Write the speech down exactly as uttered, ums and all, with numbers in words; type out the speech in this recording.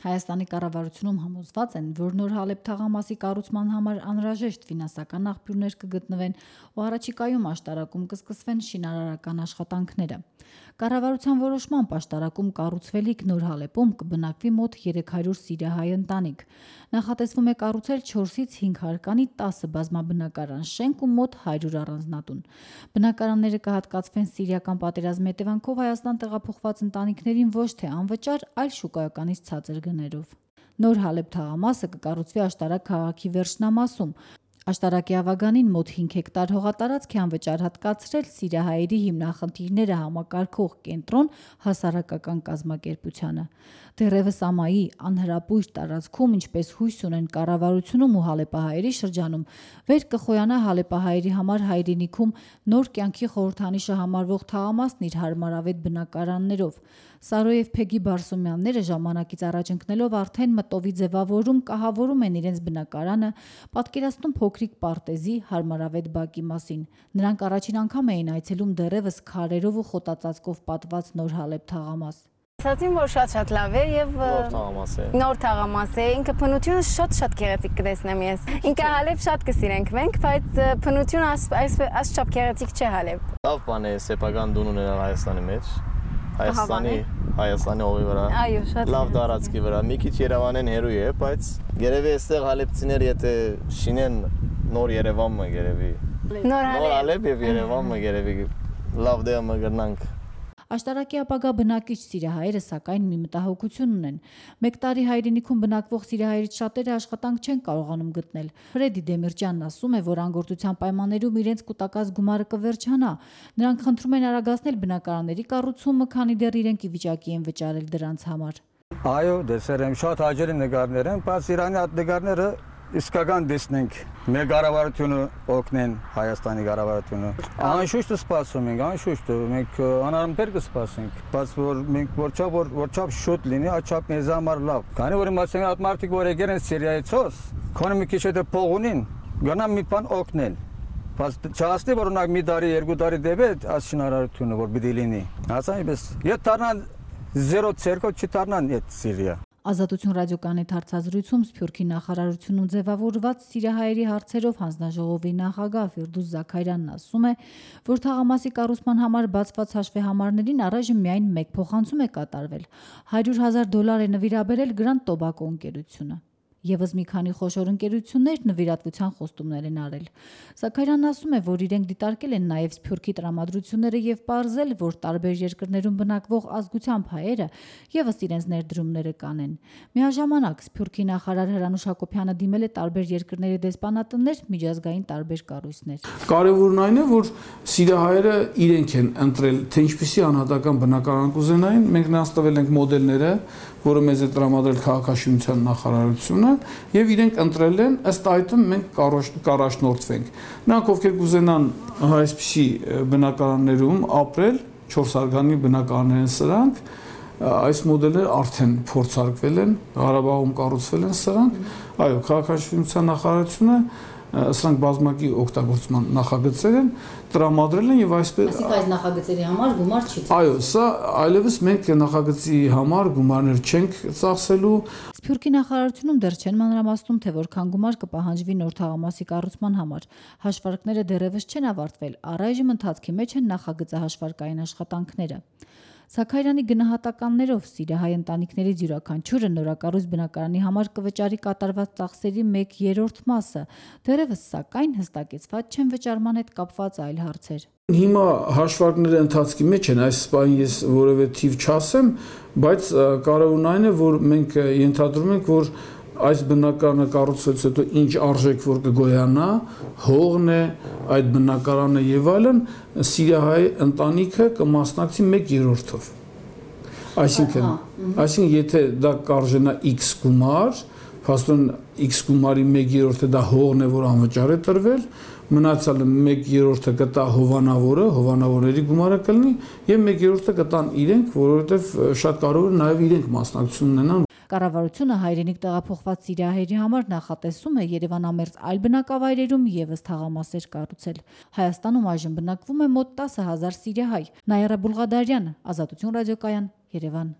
Հայաստանի կառավարությունում համոզված են, որ նոր Հալեբ թաղամասի կառուցման համար անհրաժեշտ ֆինանսական աղբյուրներ կգտնվեն ու առաջիկայում աշտարակում կսկսվեն շինարարական աշխատանքները։ Կառավարության որոշմամբ աշտարակում կառուցվելիք նոր Հալեբում կբնակվի մոտ երեք հարյուր սիրիահայ ընտանիք։ Նախատեսվում է կառուցել չորսից հինգ հարկանի տասը բազմաբնակարան շենք ու մոտ հարյուր առանձնատուն։ Բնակարանները կհատկացվեն սիրիական պատերազմի հետևանքով Հայաստան տեղափոխված ընտանիքներին ոչ թե անվճար, այլ շուկայականից ցածր գներով։ Նոր Հալեբ թաղամասը կկառուցվի Աշտարակ քաղաքի վերջնամասում։ Աշտարակի ավագանին մոտ հինգ հեկտար հողատարածք է անվճար հատկացրել սիրիահայերի հիմնախնդիրները համակարգող կենտրոն հասարակական կազմակերպությանը։ Դեռևս ամայի անհրապույր տարածքում, ինչպես հույս ունեն կառավարությունում ու հալեպահայերի շրջանում, վեր կխոյանա հալեպահայերի համար հայրենիքում նոր կյանքի խորհրդանիշը համարվող թաղամասն իր հարմարավետ բնակարաններով։ Սարո և Փեգի Բարսոմյանները ժամանակից առաջ ընկնելով արդեն մտովի ձևավորում կահավորում են իրենց բնակարանը, պատկերացնում փոքրիկ պարտեզի հարմարավետ բակի մասին։ Նրանք առաջին անգամ էին այցելում դեռևս քարերով ու խոտածածկով պատված նոր Հալեբ թաղամաս։ Ասացին, որ շատ-շատ լավ է եւ նոր թաղամաս է։ Նոր թաղամաս է, ինքը բնությունը շատ-շատ գեղեցիկ կտեսնեմ ես։ Ինքը Հալեբ շատ կսիրենք մենք, բայց բնությունը այս չափ գեղեցիկ չէ Հալեբ։ Լավ բան է սեփական դուն ունենալ Հայաստանի մեջ։ Հայաստանի Հայաստանի հողի վրա։ Այո, շատ լավ տարածքի վրա։ Մի քիչ Երևանեն հերու է, բայց երևի այստեղ հալեբցիներ եթե շինեն նոր Երևանը երևի։ Նոր Հալեբ եւ Երևանը երևի լավ դե մգրնանք։ Աշտարակի ապագա բնակիչ սիրիահայերը սակայն մի մտահոգություն ունեն։ Մեկ տարի հայրենիքում բնակվող սիրիահայերից շատերը աշխատանք չեն կարողանում գտնել։ Ֆրեդի Դեմիրճյանն ասում է, որ անգործության պայմաններում իրենց կուտակած գումարը կվերջանա։ Նրանք խնդրում են արագացնել բնակարանների կառուցումը, քանի դեռ իրենք ի վիճակի են վճարել դրանց համար։ Այո, դեսեր եմ շատ հաջելի նկարներ են, բայց Իրանի այդ նկարները իսկական դեսնենք, մեր կառավարությունը օգնեն Հայաստանի կառավարությունը։ Անշուշտ սպասում ենք, անշուշտ մենք անարմբեր կսպասենք, բայց որ մենք որչափ որ որչափ շուտ լինի, աչափ մեզ համար լավ։ Քանի որ իմացենք այդ մարդիկ որ եկել են Սիրիայից, քոնը մի քիչ հետո փող ունին, գնամ մի բան օգնել։ Բայց չհասնի որ ունակ մի տարի, երկու տարի դեպի այս շինարարությունը որ պիտի լինի։ Հասանիպես, եթե դառնան զերո ցերկո չդառնան այդ Սիրիա։ Ազատություն ռադիոկայանի հարցազրույցում Սփյուռքի նախարարությունում ձևավորված սիրիահայերի հարցերով հանձնաժողովի նախագահ Ֆիրդուս Զաքարյանն ասում է, որ թաղամասի կառուցման համար բացված հաշվեհամարներին առայժմ միայն մեկ փոխանցում է կատարվել։ հարյուր հազար դոլար է նվիրաբերել Grand Tobacco ընկերությունը։ Եվս մի քանի խոշոր ընկերություններ նվիրատվության խոստումներ են արել։ Զաքարյանն ասում է, որ իրենք դիտարկել են նաև Սփյուռքի տրամադրությունները եւ պարզել, որ տարբեր երկրներում բնակվող ազգությամբ հայերը եւս իրենց ներդրումները կանեն։ Միաժամանակ Սփյուռքի նախարար Հրանուշ Հակոբյանը դիմել է տարբեր երկրների դեսպանատներ, միջազգային տարբեր կառույցներ։ Կարևորն այն է, որ սիրիահայերը իրենք են ընտրել, թե ինչպիսի անհատական բնակարան կուզենային։ Մենք նրանց տվել ենք մոդելները, որը մեզ է տրամադրել քաղաքաշինության նախարարությունը, եւ իրենք ընտրել են, ըստ այդմ մենք կառաջնորդվենք։ Նրանք ովքեր կուզենան այսպիսի բնակարաններում ապրել, չորս հարկանի բնակարաններ են սրանք, այս մոդելները արդեն փորձարկվել են, Ղարաբաղում կառուցվել են սրանք, այո, քաղաքաշինության նախարարությունը սրանք բազմակի օգտագործման նախագծեր են տրամադրել են եւ այսպես Այսինքն այս նախագծերի համար գումար չի ծախսել։ Այո, սա այլևս մենք նախագծի համար գումարներ չենք ծախսելու։ Սփյուռքի նախարարությունում դեռ չեն մանրամասնում, թե որքան գումար կպահանջվի նոր թաղամասի կառուցման համար։ Հաշվարկները դեռևս չեն ավարտվել, առայժմ ընթացքի մեջ են նախագծահաշվարկային աշխատանքները։ Զաքարյանի գնահատականներով սիրիահայ ընտանիքներից յուրաքանչյուրը նորակառույց բնակարանի համար կվճարի կատարված ծախսերի մեկ երրորդ մասը, դեռևս սակայն հստակեցված չեն վճարման հետ կապված այլ հարցեր։ Հիմա հաշվարկները ընթացքի մեջ են, այս բանը ես որևէ թիվ չասեմ, բայց կարևորն այն է, որ մենք ենթադրում ենք, որ այս բնակարանը կառուցվելուց հետո ինչ արժեք որ կգոյանա, հողն է, այդ բնակարանը եւ այլն, սիրիահայ ընտանիքը կմասնակցի մեկ երրորդով։ Այսինքն, այսինքն եթե դա կարժենա X գումար, փաստորեն X գումարի մեկ երրորդը դա հողն է, որ անվճար է տրվել, մնացյալը մեկ երրորդը կտա հովանավորը, հովանավորների գումարը կլինի եւ մեկ երրորդը կտան իրենք, որովհետեւ շատ կարեւոր է նաեւ իրենք մասնակցություն ունենան։ Կառավարությունը հայրենիք տեղափոխված սիրիահայերի համար նախատեսում է Երևանամերձ այլ բնակավայրերում եւս թաղամասեր կառուցել։ Հայաստանում այժմ բնակվում է մոտ տասը հազար սիրիահայ։ Նայիրա Բուլղադարյան, Ազատություն ռադիոկայան, Երևան։